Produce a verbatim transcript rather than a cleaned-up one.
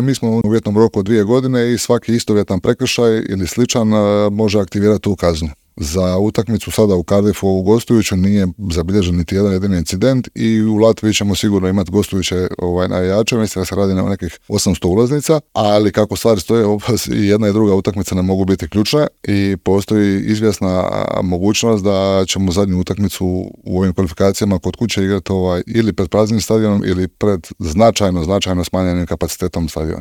Mi smo u uvjetnom roku od dvije godine i svaki istovjetan prekršaj ili sličan a, može aktivirati tu kaznu. Za utakmicu sada u Cardiffu u gostujuću nije zabilježen niti jedan jedini incident i u Latviji ćemo sigurno imati gostujuće ovaj, navijače, mislim da se radi na nekih osamsto ulaznica, ali kako stvari stoje, i jedna i druga utakmica ne mogu biti ključne i postoji izvjesna mogućnost da ćemo zadnju utakmicu u ovim kvalifikacijama kod kuće igrati ovaj, ili pred praznim stadionom ili pred značajno, značajno smanjenim kapacitetom stadiona.